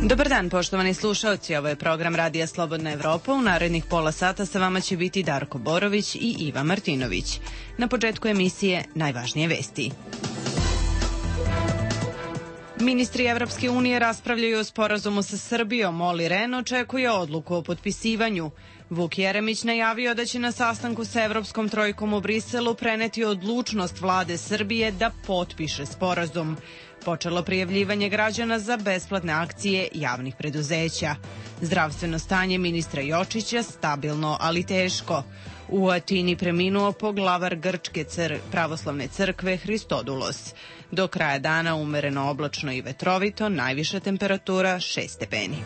Dobar dan, poštovani slušaoci, ovo je program Radija Slobodna Evropa. U narednih pola sata sa vama će biti Darko Borović i Iva Martinović. Na početku emisije najvažnije vesti. Ministri Evropske unije raspravljaju o sporazumu sa Srbijom. Olli Rehn očekuje odluku o potpisivanju. Vuk Jeremić najavio da će na sastanku sa Evropskom trojkom u Briselu preneti odlučnost vlade Srbije da potpiše sporazum. Počelo prijavljivanje građana za besplatne akcije javnih preduzeća. Zdravstveno stanje ministra Jočića stabilno, ali teško. U Atini preminuo poglavar Grčke pravoslavne crkve Hristodulos. Do kraja dana umereno oblačno i vetrovito, najviša temperatura 6 stepeni.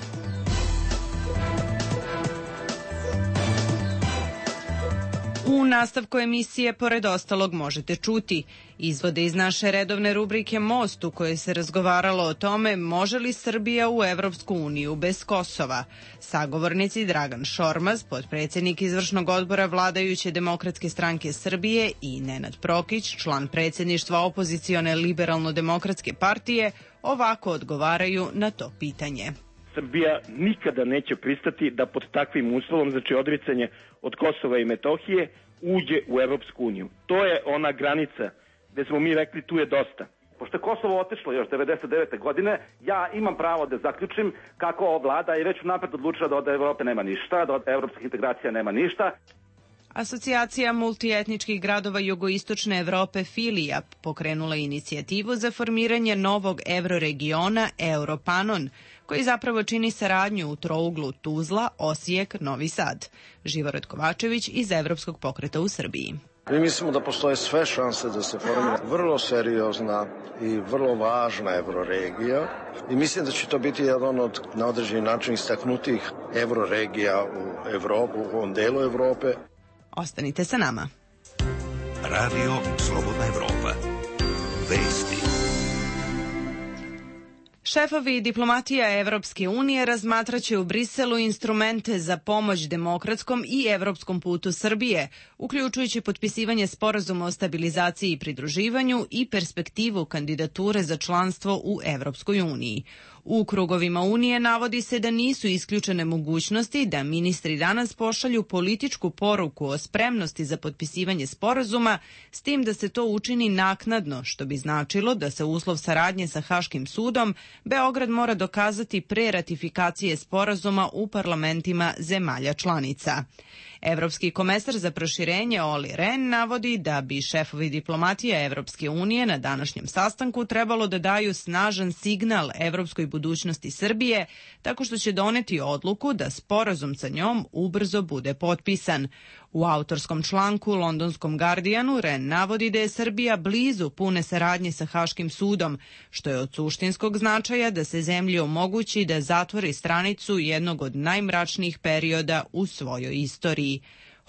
U nastavku emisije, pored ostalog, možete čuti izvode iz naše redovne rubrike Most, u kojoj se razgovaralo o tome može li Srbija u Evropsku uniju bez Kosova. Sagovornici Dragan Šormaz, potpredsjednik izvršnog odbora vladajuće Demokratske stranke Srbije, i Nenad Prokić, član predsjedništva opozicione Liberalno-demokratske partije, ovako odgovaraju na to pitanje. Srbija nikada neće pristati da pod takvim uslovom, znači odricanje od Kosova i Metohije, uđe u Evropsku uniju. To je ona granica gde smo mi rekli tu je dosta. Pošto je Kosovo otišlo još 99. godine, ja imam pravo da zaključim kako ova vlada je već unapred odlučila da od Evrope nema ništa, da od evropskih integracija nema ništa. Asocijacija multietničkih gradova jugoistočne Evrope Filija pokrenula inicijativu za formiranje novog evroregiona Europanon, koji zapravo čini saradnju u trouglu Tuzla, Osijek, Novi Sad. Živorad Kovačević iz Evropskog pokreta u Srbiji. Mi mislimo da postoje sve šanse da se formira vrlo seriozna i vrlo važna evroregija i mislim da će to biti jedan od na određeni način istaknutih evroregija u Evropu, u ovom delu Evrope. Ostanite sa nama. Radio Slobodna Evropa. Vesti. Šefovi diplomatija Evropske unije razmatraće u Briselu instrumente za pomoć demokratskom i evropskom putu Srbije, uključujući potpisivanje sporazuma o stabilizaciji i pridruživanju i perspektivu kandidature za članstvo u Evropskoj uniji. U krugovima Unije navodi se da nisu isključene mogućnosti da ministri danas pošalju političku poruku o spremnosti za potpisivanje sporazuma, s tim da se to učini naknadno, što bi značilo da se uslov saradnje sa Haškim sudom Beograd mora dokazati pre ratifikacije sporazuma u parlamentima zemalja članica. Evropski komesar za proširenje Olli Rehn navodi da bi šefovi diplomatija Evropske unije na današnjem sastanku trebalo da daju snažan signal evropskoj budućnosti Srbije tako što će doneti odluku da sporazum sa njom ubrzo bude potpisan. U autorskom članku londonskom Guardianu Rehn navodi da je Srbija blizu pune saradnje sa Haškim sudom, što je od suštinskog značaja da se zemlji omogući da zatvori stranicu jednog od najmračnijih perioda u svojoj istoriji.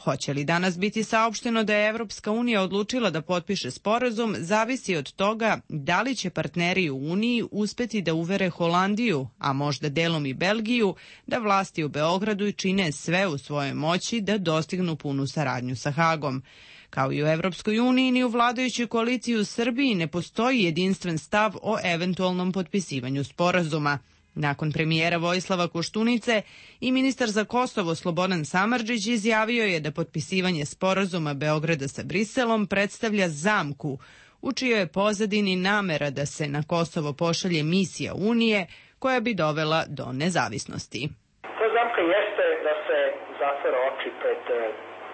Hoće li danas biti saopšteno da je Evropska unija odlučila da potpiše sporazum, zavisi od toga da li će partneri u Uniji uspeti da uvere Holandiju, a možda delom i Belgiju, da vlasti u Beogradu čine sve u svojoj moći da dostignu punu saradnju sa Hagom. Kao i u Evropskoj uniji, ni u vladajućoj koaliciji u Srbiji ne postoji jedinstven stav o eventualnom potpisivanju sporazuma. Nakon premijera Vojislava Koštunice i ministar za Kosovo Slobodan Samardžić izjavio je da potpisivanje sporazuma Beograda sa Briselom predstavlja zamku, u čijoj je pozadini namera da se na Kosovo pošalje misija Unije koja bi dovela do nezavisnosti. Ta zamka jeste da se zatvore oči pred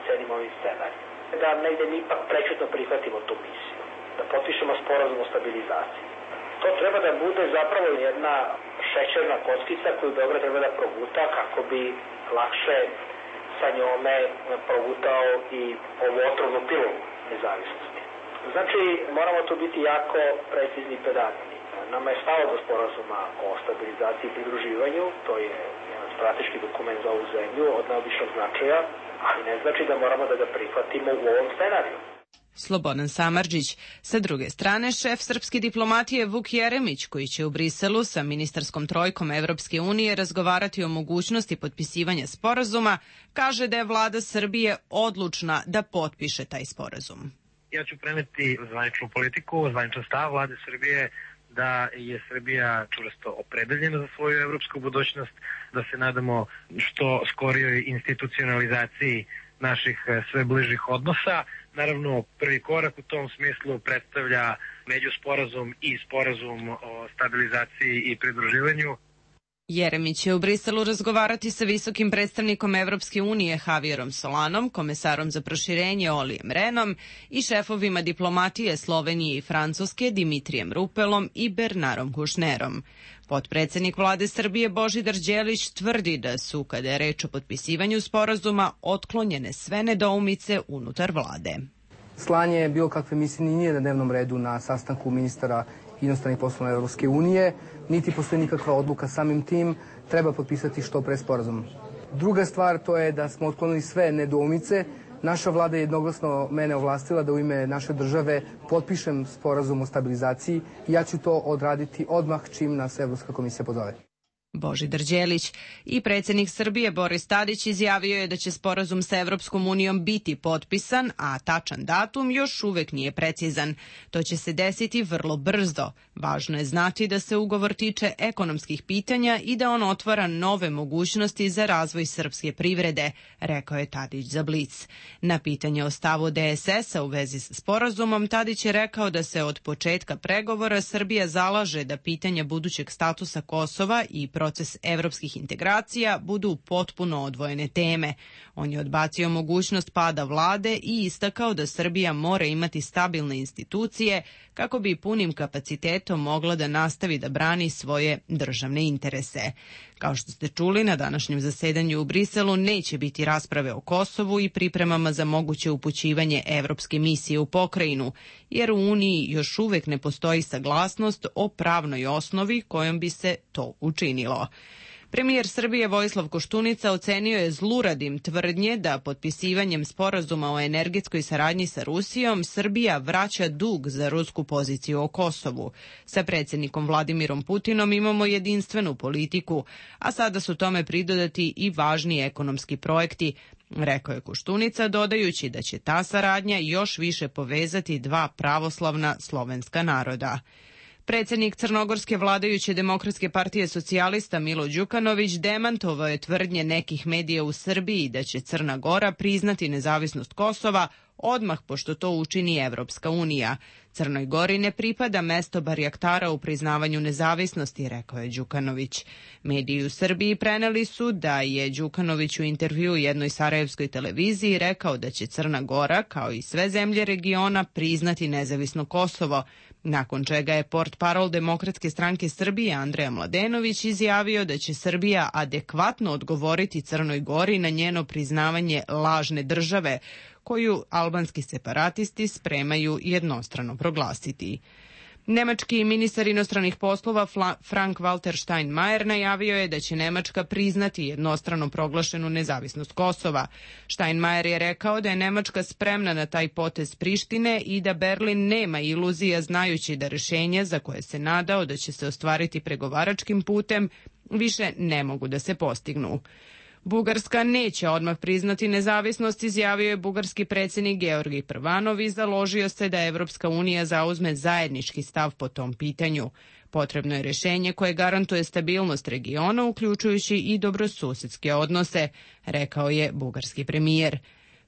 celim ovim scenarijom, da negde mi ipak prečutno prihvatimo tu misiju, da potpišemo sporazum o stabilizaciji. To treba da bude zapravo jedna šećerna kockica koju Beograd treba da proguta kako bi lakše sa njome progutao i ovu otrovnu pilu nezavisnosti. Znači, moramo tu biti jako precizni i pedantni. Nama je stalo do sporazuma o stabilizaciji i pridruživanju, to je jedan strateški dokument za ovu zemlju od neobičnog značaja, ali ne znači da moramo da ga prihvatimo u ovom scenariju. Slobodan Samardžić. Sa druge strane, šef srpske diplomatije Vuk Jeremić, koji će u Briselu sa ministarskom trojkom Evropske unije razgovarati o mogućnosti potpisivanja sporazuma, kaže da je vlada Srbije odlučna da potpiše taj sporazum. Ja ću preneti zvaničnu politiku, zvaničan stav vlade Srbije da je Srbija čvrsto opredeljena za svoju evropsku budućnost, da se nadamo što skorijoj institucionalizaciji naših sve bližih odnosa. Naravno, prvi korak u tom smislu predstavlja međusporazum i sporazum o stabilizaciji i pridruživanju. Jeremić će u Briselu razgovarati sa visokim predstavnikom Evropske unije Javierom Solanom, komesarom za proširenje Olijem Renom i šefovima diplomatije Slovenije i Francuske Dimitrijem Rupelom i Bernarom Kušnerom. Potpredsednik vlade Srbije Božidar Đelić tvrdi da su, kada je reč o potpisivanju sporazuma, otklonjene sve nedoumice unutar vlade. Slanje bilo kakve misije nije na dnevnom redu na sastanku ministara inostranih poslova Evropske unije, niti postoji nikakva odluka. Samim tim treba potpisati što pre sporazum. Druga stvar to je da smo otklonili sve nedoumice. Naša vlada je jednoglasno mene ovlastila da u ime naše države potpišem sporazum o stabilizaciji i ja ću to odraditi odmah čim nas Evropska komisija pozove. Božidar Đelić i predsjednik Srbije Boris Tadić izjavio je da će sporazum sa Evropskom unijom biti potpisan, a tačan datum još uvek nije precizan. To će se desiti vrlo brzo. Važno je znati da se ugovor tiče ekonomskih pitanja i da on otvara nove mogućnosti za razvoj srpske privrede, rekao je Tadić za Blic. Na pitanje o stavu DSS-a u vezi s sporazumom, Tadić je rekao da se od početka pregovora Srbija zalaže da pitanja budućeg statusa Kosova i proces evropskih integracija budu potpuno odvojene teme. On je odbacio mogućnost pada vlade i istakao da Srbija mora imati stabilne institucije kako bi punim kapacitetom mogla da nastavi da brani svoje državne interese. Kao što ste čuli, na današnjem zasedanju u Briselu neće biti rasprave o Kosovu i pripremama za moguće upućivanje evropske misije u pokrajinu, jer u Uniji još uvek ne postoji saglasnost o pravnoj osnovi kojom bi se to učinilo. Premijer Srbije Vojislav Koštunica ocenio je zluradim tvrdnje da potpisivanjem sporazuma o energetskoj saradnji sa Rusijom Srbija vraća dug za rusku poziciju o Kosovu. Sa predsjednikom Vladimirom Putinom imamo jedinstvenu politiku, a sada su tome pridodati i važni ekonomski projekti, rekao je Koštunica, dodajući da će ta saradnja još više povezati dva pravoslavna slovenska naroda. Predsjednik crnogorske vladajuće Demokratske partije socijalista Milo Đukanović demantovao je tvrdnje nekih medija u Srbiji da će Crna Gora priznati nezavisnost Kosova odmah pošto to učini Evropska unija. Crnoj Gori ne pripada mesto barjaktara u priznavanju nezavisnosti, rekao je Đukanović. Mediji u Srbiji preneli su da je Đukanović u intervjuu jednoj sarajevskoj televiziji rekao da će Crna Gora, kao i sve zemlje regiona, priznati nezavisno Kosovo, nakon čega je portparol Demokratske stranke Srbije Andreja Mladenović izjavio da će Srbija adekvatno odgovoriti Crnoj Gori na njeno priznavanje lažne države, koju albanski separatisti spremaju jednostrano proglasiti. Nemački ministar inostranih poslova Frank-Walter Steinmeier najavio je da će Nemačka priznati jednostrano proglašenu nezavisnost Kosova. Steinmeier je rekao da je Nemačka spremna na taj potez Prištine i da Berlin nema iluzija znajući da rješenje za koje se nadao da će se ostvariti pregovaračkim putem više ne mogu da se postignu. Bugarska neće odmah priznati nezavisnost, izjavio je bugarski predsjednik Georgij Prvanov i založio se da Evropska unija zauzme zajednički stav po tom pitanju. Potrebno je rješenje koje garantuje stabilnost regiona, uključujući i dobrosusedske odnose, rekao je bugarski premijer.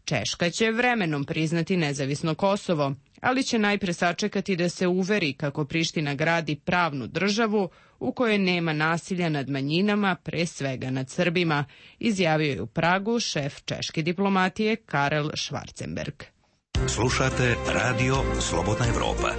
Češka će vremenom priznati nezavisno Kosovo, ali će najpre sačekati da se uveri kako Priština gradi pravnu državu u kojoj nema nasilja nad manjinama, pre svega nad Srbima, izjavio je u Pragu šef češke diplomatije Karel Schwarzenberg. Slušate Radio Slobodna Evropa.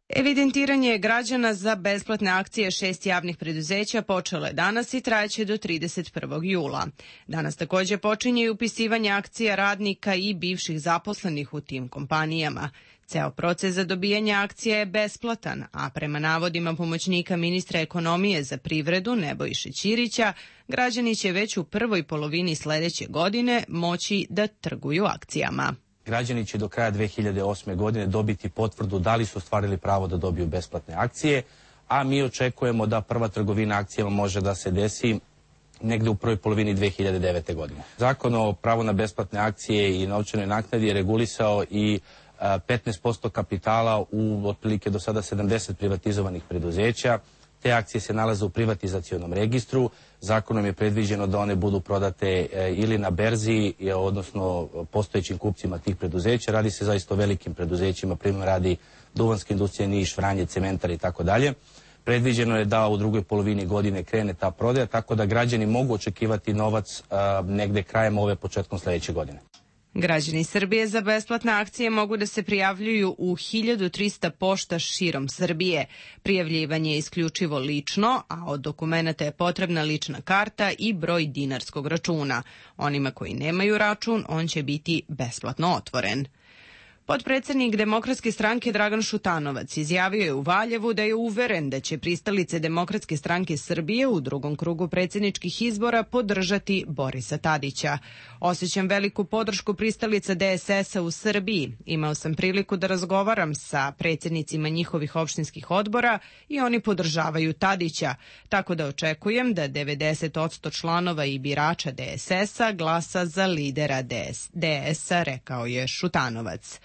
Evidentiranje građana za besplatne akcije 6 javnih preduzeća počelo je danas i trajeće do 31. jula. Danas također počinje i upisivanje akcija radnika i bivših zaposlenih u tim kompanijama. Ceo proces za dobijanje akcija je besplatan, a prema navodima pomoćnika ministra ekonomije za privredu Nebojše Ćirića, građani će već u prvoj polovini sledeće godine moći da trguju akcijama. Građani će do kraja 2008. godine dobiti potvrdu da li su ostvarili pravo da dobiju besplatne akcije, a mi očekujemo da prva trgovina akcijama može da se desi negde u prvoj polovini 2009. godine. Zakon o pravu na besplatne akcije i novčanoj naknadi je regulisao i 15% kapitala u otprilike do sada 70 privatizovanih preduzeća. Te akcije se nalaze u privatizacionom registru. Zakonom je predviđeno da one budu prodate ili na berzi, odnosno postojećim kupcima tih preduzeća. Radi se zaista o velikim preduzećima, primjer radi Duvanska industrija Niš, Vranje, Cementar i tako dalje. Predviđeno je da u drugoj polovini godine krene ta prodaja, tako da građani mogu očekivati novac negde krajem ove, početkom sledeće godine. Građani Srbije za besplatne akcije mogu da se prijavljuju u 1300 pošta širom Srbije. Prijavljivanje je isključivo lično, a od dokumenta je potrebna lična karta i broj dinarskog računa. Onima koji nemaju račun, on će biti besplatno otvoren. Potpredsednik Demokratske stranke Dragan Šutanovac izjavio je u Valjevu da je uveren da će pristalice Demokratske stranke Srbije u drugom krugu predsjedničkih izbora podržati Borisa Tadića. Osjećam veliku podršku pristalica DSS-a u Srbiji. Imao sam priliku da razgovaram sa predsjednicima njihovih opštinskih odbora i oni podržavaju Tadića, tako da očekujem da 90% članova i birača DSS-a glasa za lidera DS-a, rekao je Šutanovac.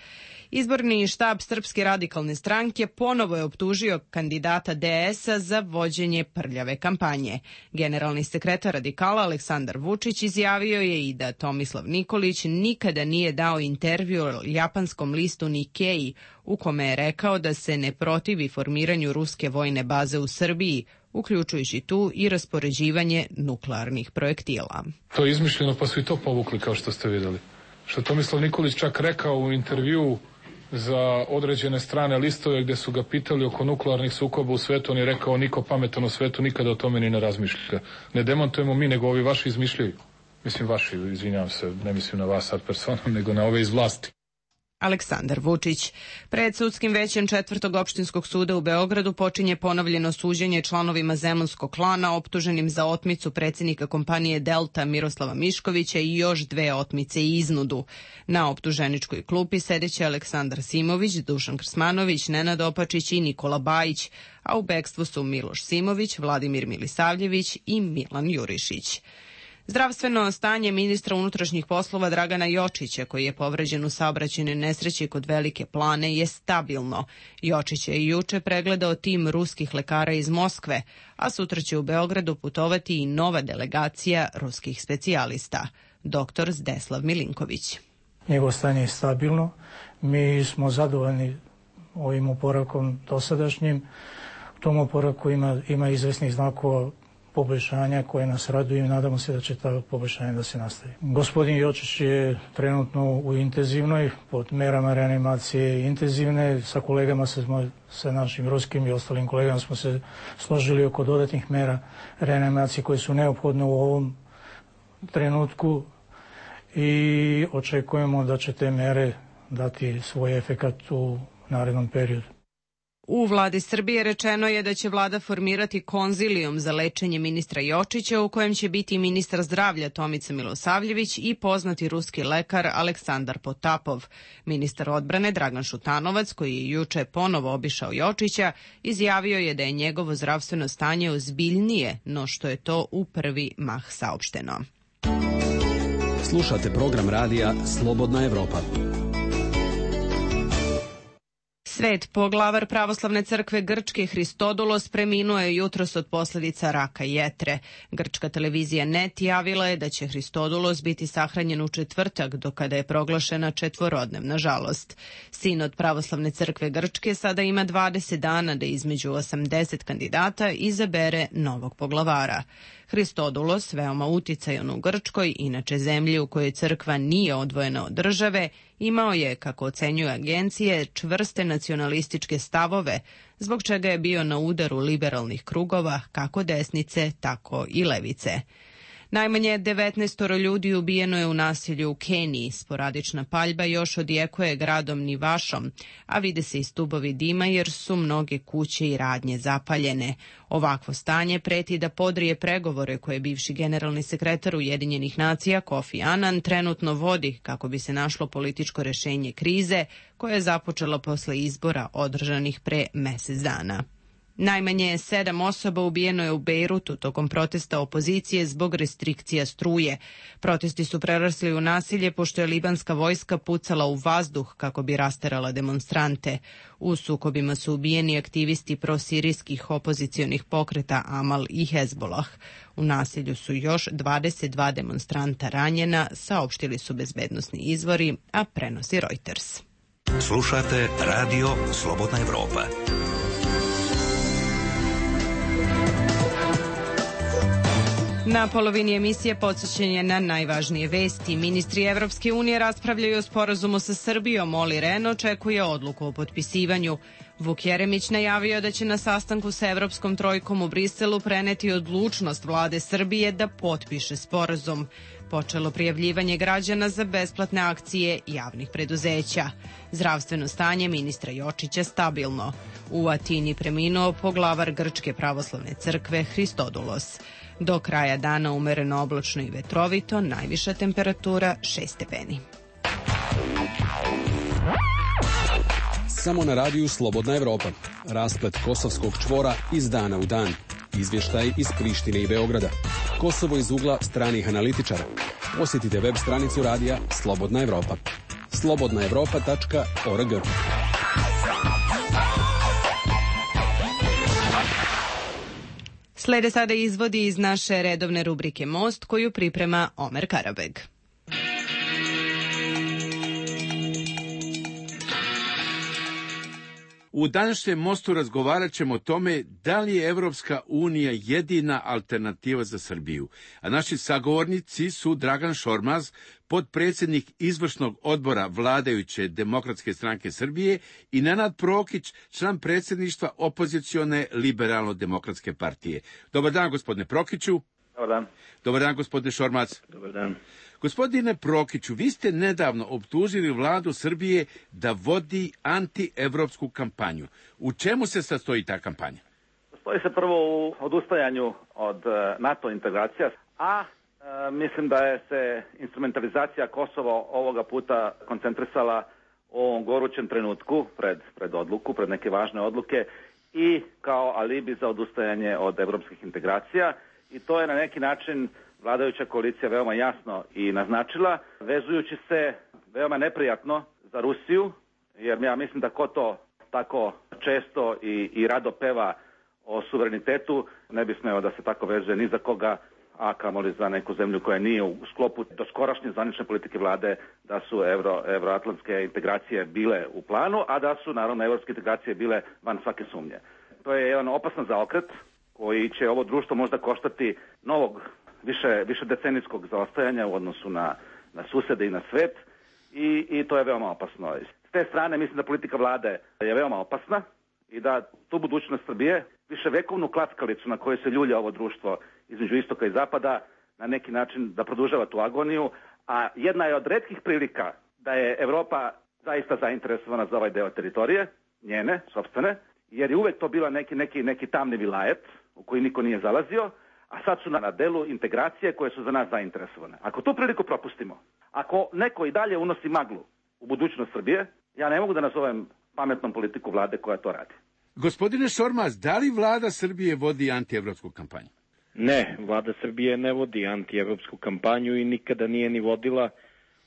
Izborni štab Srpske radikalne stranke ponovo je optužio kandidata DS-a za vođenje prljave kampanje. Generalni sekretar radikala Aleksandar Vučić izjavio je i da Tomislav Nikolić nikada nije dao intervju japanskom listu Nikkei u kome je rekao da se ne protivi formiranju ruske vojne baze u Srbiji, uključujući tu i raspoređivanje nuklearnih projektila. To je izmišljeno pa su i to povukli kao što ste videli. Što Tomislav Nikolić čak rekao u intervjuu za određene strane listove gde su ga pitali oko nuklearnih sukoba u svetu, on je rekao niko pametan u svetu nikada o tome ni ne razmišlja. Ne demontujemo mi, nego ovi vaši izmišljaju. Mislim vaši, izvinjavam se, ne mislim na vas sad personom, nego na ove iz vlasti. Aleksandar Vučić. Pred sudskim većem 4. opštinskog suda u Beogradu počinje ponovljeno suđenje članovima Zemunskog klana optuženim za otmicu predsjednika kompanije Delta Miroslava Miškovića i još 2 otmice i iznudu. Na optuženičkoj klupi sedeće Aleksandar Simović, Dušan Krsmanović, Nenad Opačić i Nikola Bajić, a u bekstvu su Miloš Simović, Vladimir Milisavljević i Milan Jurišić. Zdravstveno stanje ministra unutrašnjih poslova Dragana Jočića, koji je povređen u saobraćajnoj nesreći kod Velike Plane, je stabilno. Jočić je juče pregledao tim ruskih lekara iz Moskve, a sutra će u Beogradu putovati i nova delegacija ruskih specijalista. Dr. Zdeslav Milinković. Njegovo stanje je stabilno. Mi smo zadovoljni ovim oporavkom dosadašnjim. U tom oporavku ima izvesnih znakova poboljšanja koje nas raduju i nadamo se da će ta poboljšanja da se nastavi. Gospodin Jočić je trenutno u intenzivnoj, pod merama reanimacije intenzivne. Sa kolegama, sa našim ruskim i ostalim kolegama smo se složili oko dodatnih mera reanimacije koje su neophodne u ovom trenutku i očekujemo da će te mere dati svoj efekat u narednom periodu. U vladi Srbije rečeno je da će vlada formirati konzilijum za lečenje ministra Jočića u kojem će biti ministar zdravlja Tomica Milosavljević i poznati ruski lekar Aleksandar Potapov. Ministar odbrane Dragan Šutanovac, koji je juče ponovo obišao Jočića, izjavio je da je njegovo zdravstveno stanje ozbiljnije no što je to u prvi mah saopšteno. Slušate program radija Slobodna Evropa. Svet poglavar Pravoslavne crkve Grčke Hristodulos preminuo je jutros od posljedica raka jetre. Grčka televizija NET javila je da će Hristodulos biti sahranjen u četvrtak, do kada je proglašena četvorodnevna žalost. Sinod Pravoslavne crkve Grčke sada ima 20 dana da između 80 kandidata izabere novog poglavara. Hristodulos, veoma uticajan u Grčkoj, inače zemlji u kojoj crkva nije odvojena od države, imao je, kako ocenjuju agencije, čvrste nacionalističke stavove, zbog čega je bio na udaru liberalnih krugova, kako desnice, tako i levice. Najmanje 19 ljudi ubijeno je u nasilju u Keniji. Sporadična paljba još odjekuje gradom Nivašom, a vide se i stubovi dima jer su mnoge kuće i radnje zapaljene. Ovakvo stanje preti da podrije pregovore koje bivši generalni sekretar Ujedinjenih nacija Kofi Annan trenutno vodi kako bi se našlo političko rešenje krize koja je započela posle izbora održanih pre mesec dana. Najmanje 7 osoba ubijeno je u Bejrutu tokom protesta opozicije zbog restrikcija struje. Protesti su prerasli u nasilje pošto je libanska vojska pucala u vazduh kako bi rasterala demonstrante. U sukobima su ubijeni aktivisti prosirijskih opozicionih pokreta Amal i Hezbolah. U nasilju su još 22 demonstranta ranjena, saopštili su bezbednosni izvori, a prenosi Reuters. Slušate Radio Slobodna Evropa. Na polovini emisije podsjećanje na najvažnije vesti. Ministri Evropske unije raspravljaju o sporazumu sa Srbijom. Olli Rehn očekuje odluku o potpisivanju. Vuk Jeremić najavio da će na sastanku sa Evropskom trojkom u Briselu preneti odlučnost vlade Srbije da potpiše sporazum. Počelo prijavljivanje građana za besplatne akcije javnih preduzeća. Zdravstveno stanje ministra Jočića stabilno. U Atini preminuo poglavar Grčke pravoslavne crkve Hristodulos. Do kraja dana umereno oblačno i vetrovito, najviša temperatura 6 stepeni. Samo na radiju Slobodna Evropa. Rasplet kosovskog čvora iz dana u dan. Izvještaj iz Prištine i Beograda. Kosovo iz ugla stranih analitičara. Posjetite web stranicu radija Slobodna Evropa. slobodnaevropa.org. Slede sada izvodi iz naše redovne rubrike Most, koju priprema Omer Karabeg. U današnjem Mostu razgovarat ćemo o tome da li je Evropska unija jedina alternativa za Srbiju. A naši sagovornici su Dragan Šormaz, potpredsjednik izvršnog odbora vladajuće Demokratske stranke Srbije, i Nenad Prokić, član predsjedništva opozicione Liberalno-demokratske partije. Dobar dan, gospodine Prokiću. Dobar dan. Dobar dan, gospodine Šormaz. Dobar dan. Gospodine Prokiću, vi ste nedavno optužili vladu Srbije da vodi antievropsku kampanju. U čemu se sastoji ta kampanja? Sastoji se prvo u odustajanju od NATO integracija, a mislim da je se instrumentalizacija Kosova ovoga puta koncentrisala u ovom gorućem trenutku pred odluku, pred neke važne odluke i kao alibi za odustajanje od evropskih integracija, i to je na neki način vladajuća koalicija veoma jasno i naznačila, vezujući se veoma neprijatno za Rusiju, jer ja mislim da ko to tako često i rado peva o suverenitetu, ne bi smeo da se tako vezuje ni za koga, a kamoli za neku zemlju koja nije u sklopu doskorašnje zvanične politike vlade da su evroatlantske integracije bile u planu, a da su naravno evropske integracije bile van svake sumnje. To je jedan opasan zaokret koji će ovo društvo možda koštati novog više decenijskog zaostajanja u odnosu na susede i na svet, i to je veoma opasno. S te strane mislim da politika vlade je veoma opasna i da tu budućnost Srbije, viševekovnu klackalicu na kojoj se ljulja ovo društvo između istoka i zapada, na neki način da produžava tu agoniju, a jedna je od retkih prilika da je Evropa zaista zainteresovana za ovaj deo teritorije, njene, sopstvene, jer je uvek to bila neki tamni vilajet u koji niko nije zalazio, a sad su na delu integracije koje su za nas zainteresovane. Ako tu priliku propustimo, ako neko i dalje unosi maglu u budućnost Srbije, ja ne mogu da nazovem pametnom politiku vlade koja to radi. Gospodine Šormaz, da li vlada Srbije vodi antievropsku kampanju? Ne, vlada Srbije ne vodi antievropsku kampanju i nikada nije ni vodila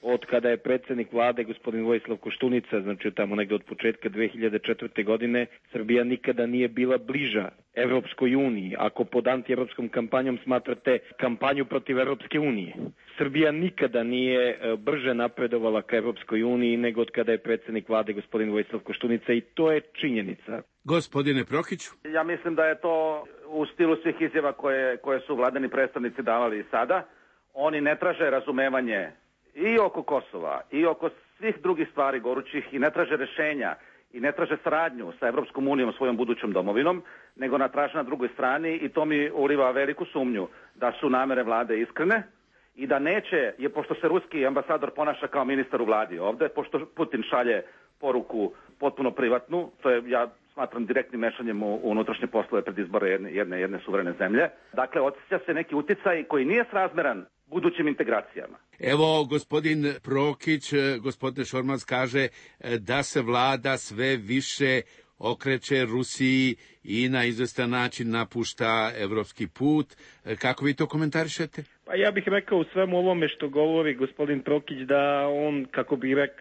od kada je predsjednik vlade, gospodin Vojislav Koštunica, znači tamo negde od početka 2004. godine, Srbija nikada nije bila bliža Evropskoj uniji, ako pod antievropskom kampanjom smatrate kampanju protiv Evropske unije. Srbija nikada nije brže napredovala ka Evropskoj uniji nego od kada je predsjednik vlade, gospodin Vojislav Koštunica, i to je činjenica. Gospodine Prokiću? Ja mislim da je to u stilu svih izjava koje su vladani predstavnici davali i sada. Oni ne traže razumevanje i oko Kosova, i oko svih drugih stvari gorućih, i ne traže rešenja, i ne traže saradnju sa Evropskom unijom, svojom budućom domovinom, nego traže na drugoj strani, i to mi uliva veliku sumnju da su namere vlade iskrene i da neće, pošto se ruski ambasador ponaša kao ministar u vladi ovde, pošto Putin šalje poruku potpuno privatnu, to je, ja smatram, direktnim mešanjem u unutrašnje poslove pred izbore jedne suverene zemlje. Dakle, osjeća se neki uticaj koji nije srazmeran budućim integracijama. Evo, gospodin Prokić, gospodin Šormaz kaže da se vlada sve više okreće Rusiji i na izvestan način napušta evropski put. Kako vi to komentarišete? Pa ja bih rekao u svemu ovome što govori gospodin Prokić da on,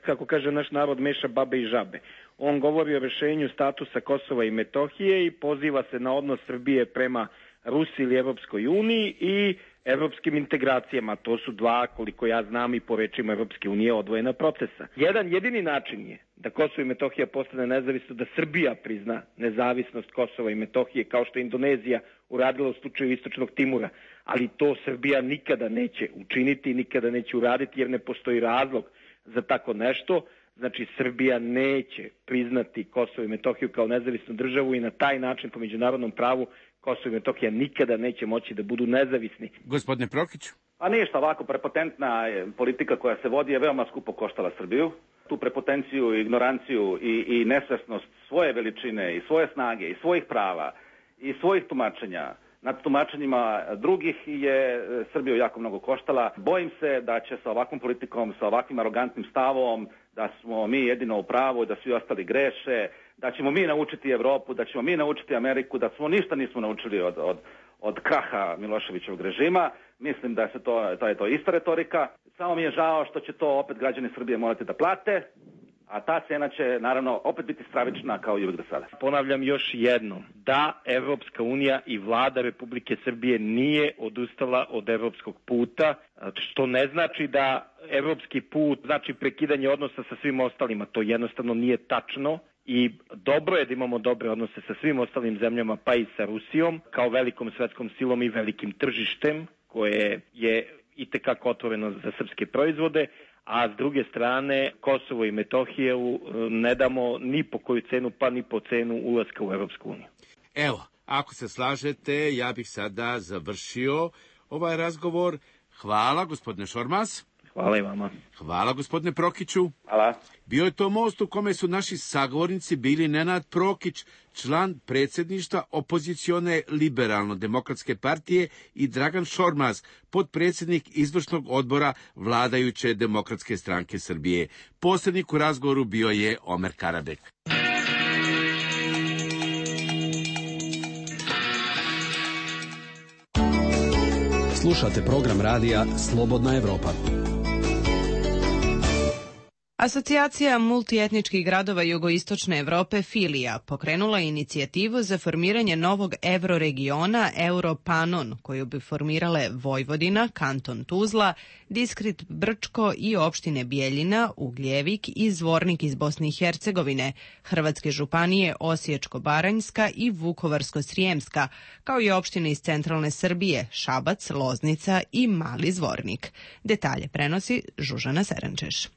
kako kaže naš narod, meša babe i žabe. On govori o rešenju statusa Kosova i Metohije i poziva se na odnos Srbije prema Rusiji ili Evropskoj uniji i evropskim integracijama. To su dva, koliko ja znam i po rečima Evropske unije, odvojena procesa. Jedini način je da Kosovo i Metohija postane nezavisno, da Srbija prizna nezavisnost Kosova i Metohije, kao što je Indonezija uradila u slučaju Istočnog Timura. Ali to Srbija nikada neće učiniti, nikada neće uraditi, jer ne postoji razlog za tako nešto. Znači, Srbija neće priznati Kosovo i Metohiju kao nezavisnu državu i na taj način po međunarodnom pravu Kosovo i Metohija nikada neće moći da budu nezavisni. Gospodine Prokiću? A ništa, ovako prepotentna politika koja se vodi je veoma skupo koštala Srbiju. Tu prepotenciju, ignoranciju i nesvesnost svoje veličine i svoje snage i svojih prava i svojih tumačenja nad tumačenjima drugih je Srbiju jako mnogo koštala. Bojim se da će sa ovakvom politikom, sa ovakvim arogantnim stavom, da smo mi jedino u pravu, da svi ostali greše, da ćemo mi naučiti Evropu, da ćemo mi naučiti Ameriku, da smo ništa nismo naučili od kraha Miloševićevog režima. Mislim da je to ista retorika. Samo mi je žao što će to opet građani Srbije morati da plate, a ta cena će naravno opet biti stravična kao i uvijek do sada. Ponavljam još jednom, da Evropska unija i vlada Republike Srbije nije odustala od evropskog puta, što ne znači da evropski put znači prekidanje odnosa sa svim ostalima. To jednostavno nije tačno. I dobro je da imamo dobre odnose sa svim ostalim zemljama, pa i sa Rusijom, kao velikom svetskom silom i velikim tržištem, koje je itekako otvoreno za srpske proizvode, a s druge strane Kosovo i Metohiju ne damo ni po koju cenu, pa ni po cenu ulaska u Evropsku uniju. Evo, ako se slažete, ja bih sada završio ovaj razgovor. Hvala, gospodine Šormaz. Hvala i vama. Hvala, gospodine Prokiću. Hvala. Bio je to most u kome su naši sagovornici bili Nenad Prokić, član predsjedništva opozicione liberalno-demokratske partije, i Dragan Šormaz, potpredsjednik izvršnog odbora vladajuće Demokratske stranke Srbije. Posrednik u razgovoru bio je Omer Karabek. Slušate program radija Slobodna Evropa. Asocijacija multietničkih gradova jugoistočne Evrope Filija pokrenula je inicijativu za formiranje novog evroregiona Europanon, koju bi formirale Vojvodina, kanton Tuzla, Diskrit Brčko i opštine Bijeljina, Ugljevik i Zvornik iz Bosne i Hercegovine, hrvatske županije Osječko-baranjska i Vukovarsko-srijemska, kao i opštine iz centralne Srbije, Šabac, Loznica i Mali Zvornik. Detalje prenosi Žužana Serančeš.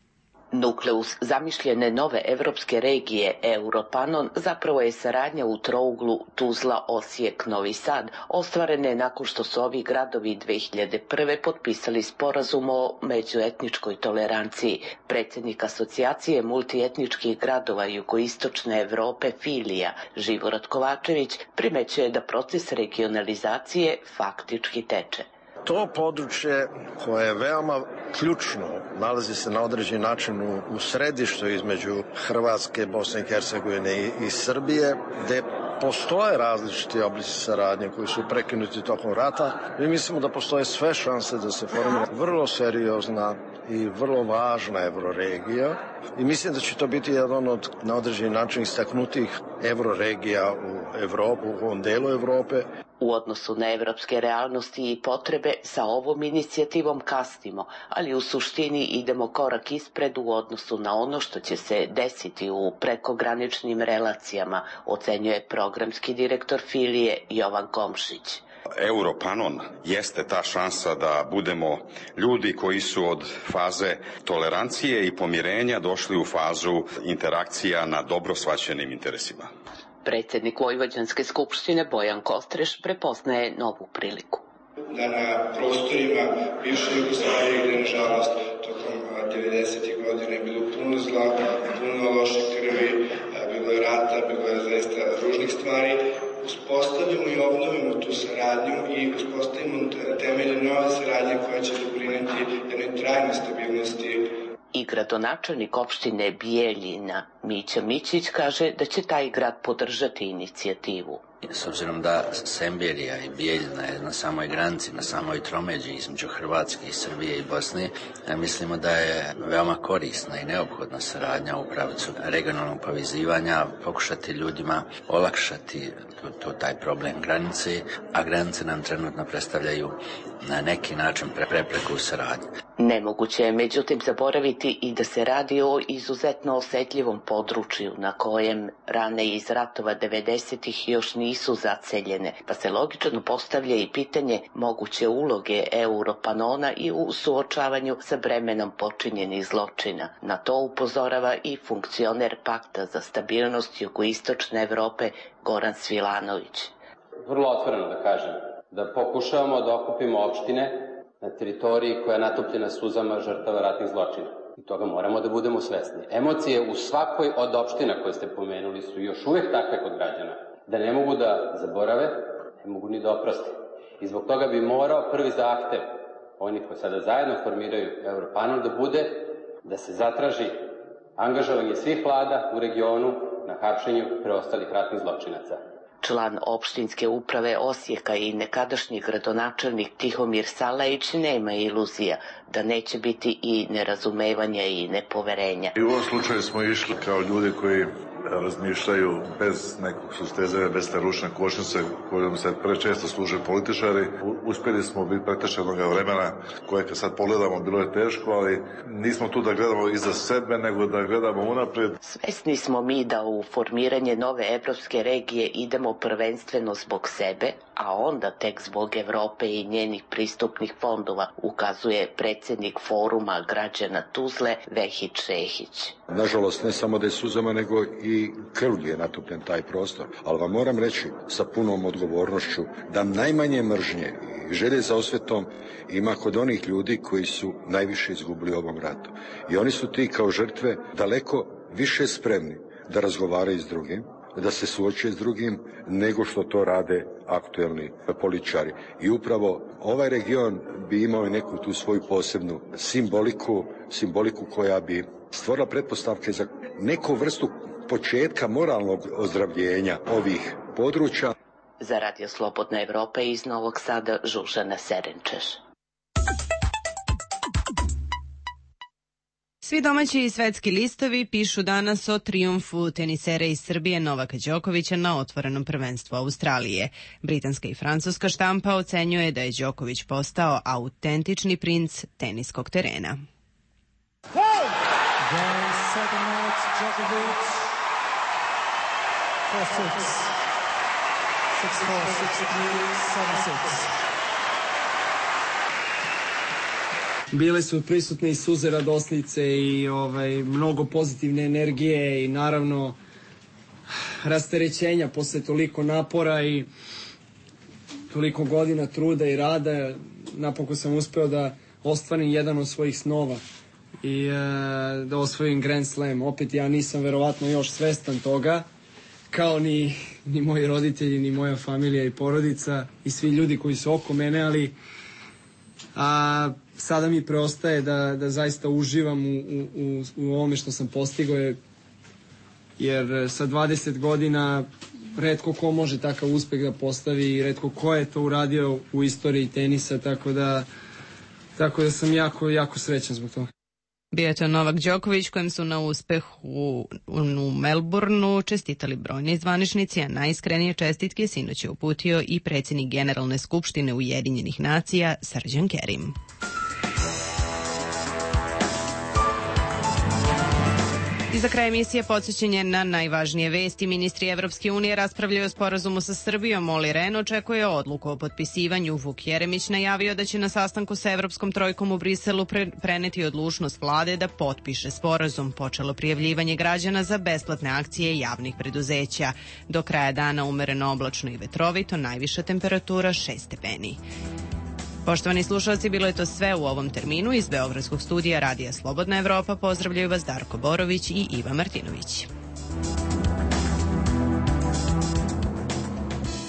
Nukleus zamišljene nove evropske regije Europanon zapravo je saradnja u trouglu Tuzla, Osijek, Novi Sad, ostvarene nakon što su ovi gradovi 2001. potpisali sporazum o međuetničkoj toleranciji. Predsjednik asocijacije multietničkih gradova jugoistočne Evrope Filija, Živorad Kovačević, primećuje da proces regionalizacije faktički teče. To područje koje je veoma ključno, nalazi se na određen način u središtu između Hrvatske, Bosne i Hercegovine i Srbije, gde postoje različiti oblici saradnje koji su prekinuti tokom rata. Mi mislimo da postoje sve šanse da se formira vrlo seriozna i vrlo važna evroregija i mislim da će to biti jedan od na određen način istaknutih evroregija u Evropu, u ovom delu Evrope. U odnosu na evropske realnosti i potrebe sa ovom inicijativom kasnimo, ali u suštini idemo korak ispred u odnosu na ono što će se desiti u prekograničnim relacijama, ocenjuje programski direktor Filije Jovan Komšić. Europanon jeste ta šansa da budemo ljudi koji su od faze tolerancije i pomirenja došli u fazu interakcija na dobro shvaćenim interesima. Predsjednik Vojvođanske skupštine Bojan Kostreš prepoznaje novu priliku. Da na prostorima bivše Jugoslavije, gde nažalost tokom 90. godina je bilo puno zla, puno loše krvi, bilo je rata, bilo je zaista ružnih stvari, uspostavimo i obnovimo tu saradnju i uspostavimo temelje nove saradnje koja će doprineti jednoj trajnoj stabilnosti. I gradonačelnik opštine Bijeljina Mića Mićić kaže da će taj grad podržati inicijativu. S obzirom da Semberija i Bijeljina je na samoj granici, na samoj tromeđi između Hrvatske i Srbije i Bosne, mislimo da je veoma korisna i neophodna saradnja u pravcu regionalnog povezivanja, pokušati ljudima olakšati taj problem granice, a granice nam trenutno predstavljaju na neki način prepreku u saradnji. Nemoguće je međutim zaboraviti i da se radi o izuzetno osetljivom području na kojem rane iz ratova 90-ih još nisu zaceljene, pa se logično postavlja i pitanje moguće uloge Europanona i u suočavanju sa bremenom počinjenih zločina. Na to upozorava i funkcioner Pakta za stabilnost jugoistočne Evrope Goran Svilanović. Vrlo otvoreno da kažem, da pokušavamo da okupimo opštine na teritoriji koja je natopljena suzama žrtava ratnih zločina. I toga moramo da budemo svesni. Emocije u svakoj od opština koje ste pomenuli su još uvek takve kod građana, da ne mogu da zaborave, ne mogu ni da oproste. I zbog toga bi morao prvi zahtev oni koji sada zajedno formiraju Europanel da bude da se zatraži angažovanje svih vlada u regionu na hapšenju preostalih ratnih zločinaca. Član opštinske uprave Osijeka i nekadašnji gradonačelnik Tihomir Salajić nema iluzija da neće biti i nerazumevanja i nepoverenja. I u ovom slučaju smo išli kao ljudi koji razmišljaju bez nekog sustezanja, bez te ručne kočnice kojom se prečesto služe političari. Uspjeli smo biti pretešenog vremena koje kad sad pogledamo bilo je teško, ali nismo tu da gledamo iza sebe, nego da gledamo unaprijed. Svesni smo mi da u formiranje nove evropske regije idemo prvenstveno zbog sebe, a onda tek zbog Evrope i njenih pristupnih fondova, ukazuje predsjednik foruma građana Tuzle Vehid Šehić. Nažalost, ne samo da je suzama, nego i krvlju je natopljen taj prostor. Ali vam moram reći sa punom odgovornošću da najmanje mržnje i želje za osvetom ima kod onih ljudi koji su najviše izgubili u ovom ratu. I oni su ti kao žrtve daleko više spremni da razgovaraju s drugim, da se suoče s drugim, nego što to rade aktuelni političari. I upravo ovaj region bi imao neku tu svoju posebnu simboliku koja bi stvorila pretpostavke za neku vrstu početka moralnog ozdravljenja ovih područja. Za Radio Slobodna Evropa iz Novog Sada Žužana Serenčeš. Svi domaći i svetski listovi pišu danas o trijumfu tenisere iz Srbije Novaka Đokovića na otvorenom prvenstvu Australije. Britanska i francuska štampa ocenjuje da je Đoković postao autentični princ teniskog terena. Bile su prisutne i suze radosnice i mnogo pozitivne energije i naravno rasterećenja posle toliko napora i toliko godina truda i rada. Napokon sam uspeo da ostvarim jedan od svojih snova i da osvojim Grand Slam. Opet ja nisam verovatno još svestan toga, kao ni moji roditelji, ni moja familija i porodica i svi ljudi koji su oko mene, ali sada mi preostaje da zaista uživam u ovome što sam postigao, jer sa 20 godina retko ko može takav uspeh da postavi i retko ko je to uradio u istoriji tenisa, tako da sam jako srećan zbog toga. Bio je to Novak Đoković kojem su na uspehu u Melbourneu čestitali brojni zvaničnici, a najiskrenije čestitke sinoć je uputio i predsjednik Generalne skupštine Ujedinjenih nacija Srđan Kerim. I za kraj emisije podsjećanje na najvažnije vesti. Ministri Evropske unije raspravljaju o sporazumu sa Srbijom. Olli Rehn očekuje odluku o potpisivanju. Vuk Jeremić najavio da će na sastanku sa Evropskom trojkom u Briselu preneti odlučnost vlade da potpiše sporazum. Počelo prijavljivanje građana za besplatne akcije javnih preduzeća. Do kraja dana umereno oblačno i vetrovito, najviša temperatura 6 stepeni. Poštovani slušalci, bilo je to sve u ovom terminu. Iz Beogradskog studija Radija Slobodna Evropa pozdravljaju vas Darko Borović i Iva Martinović.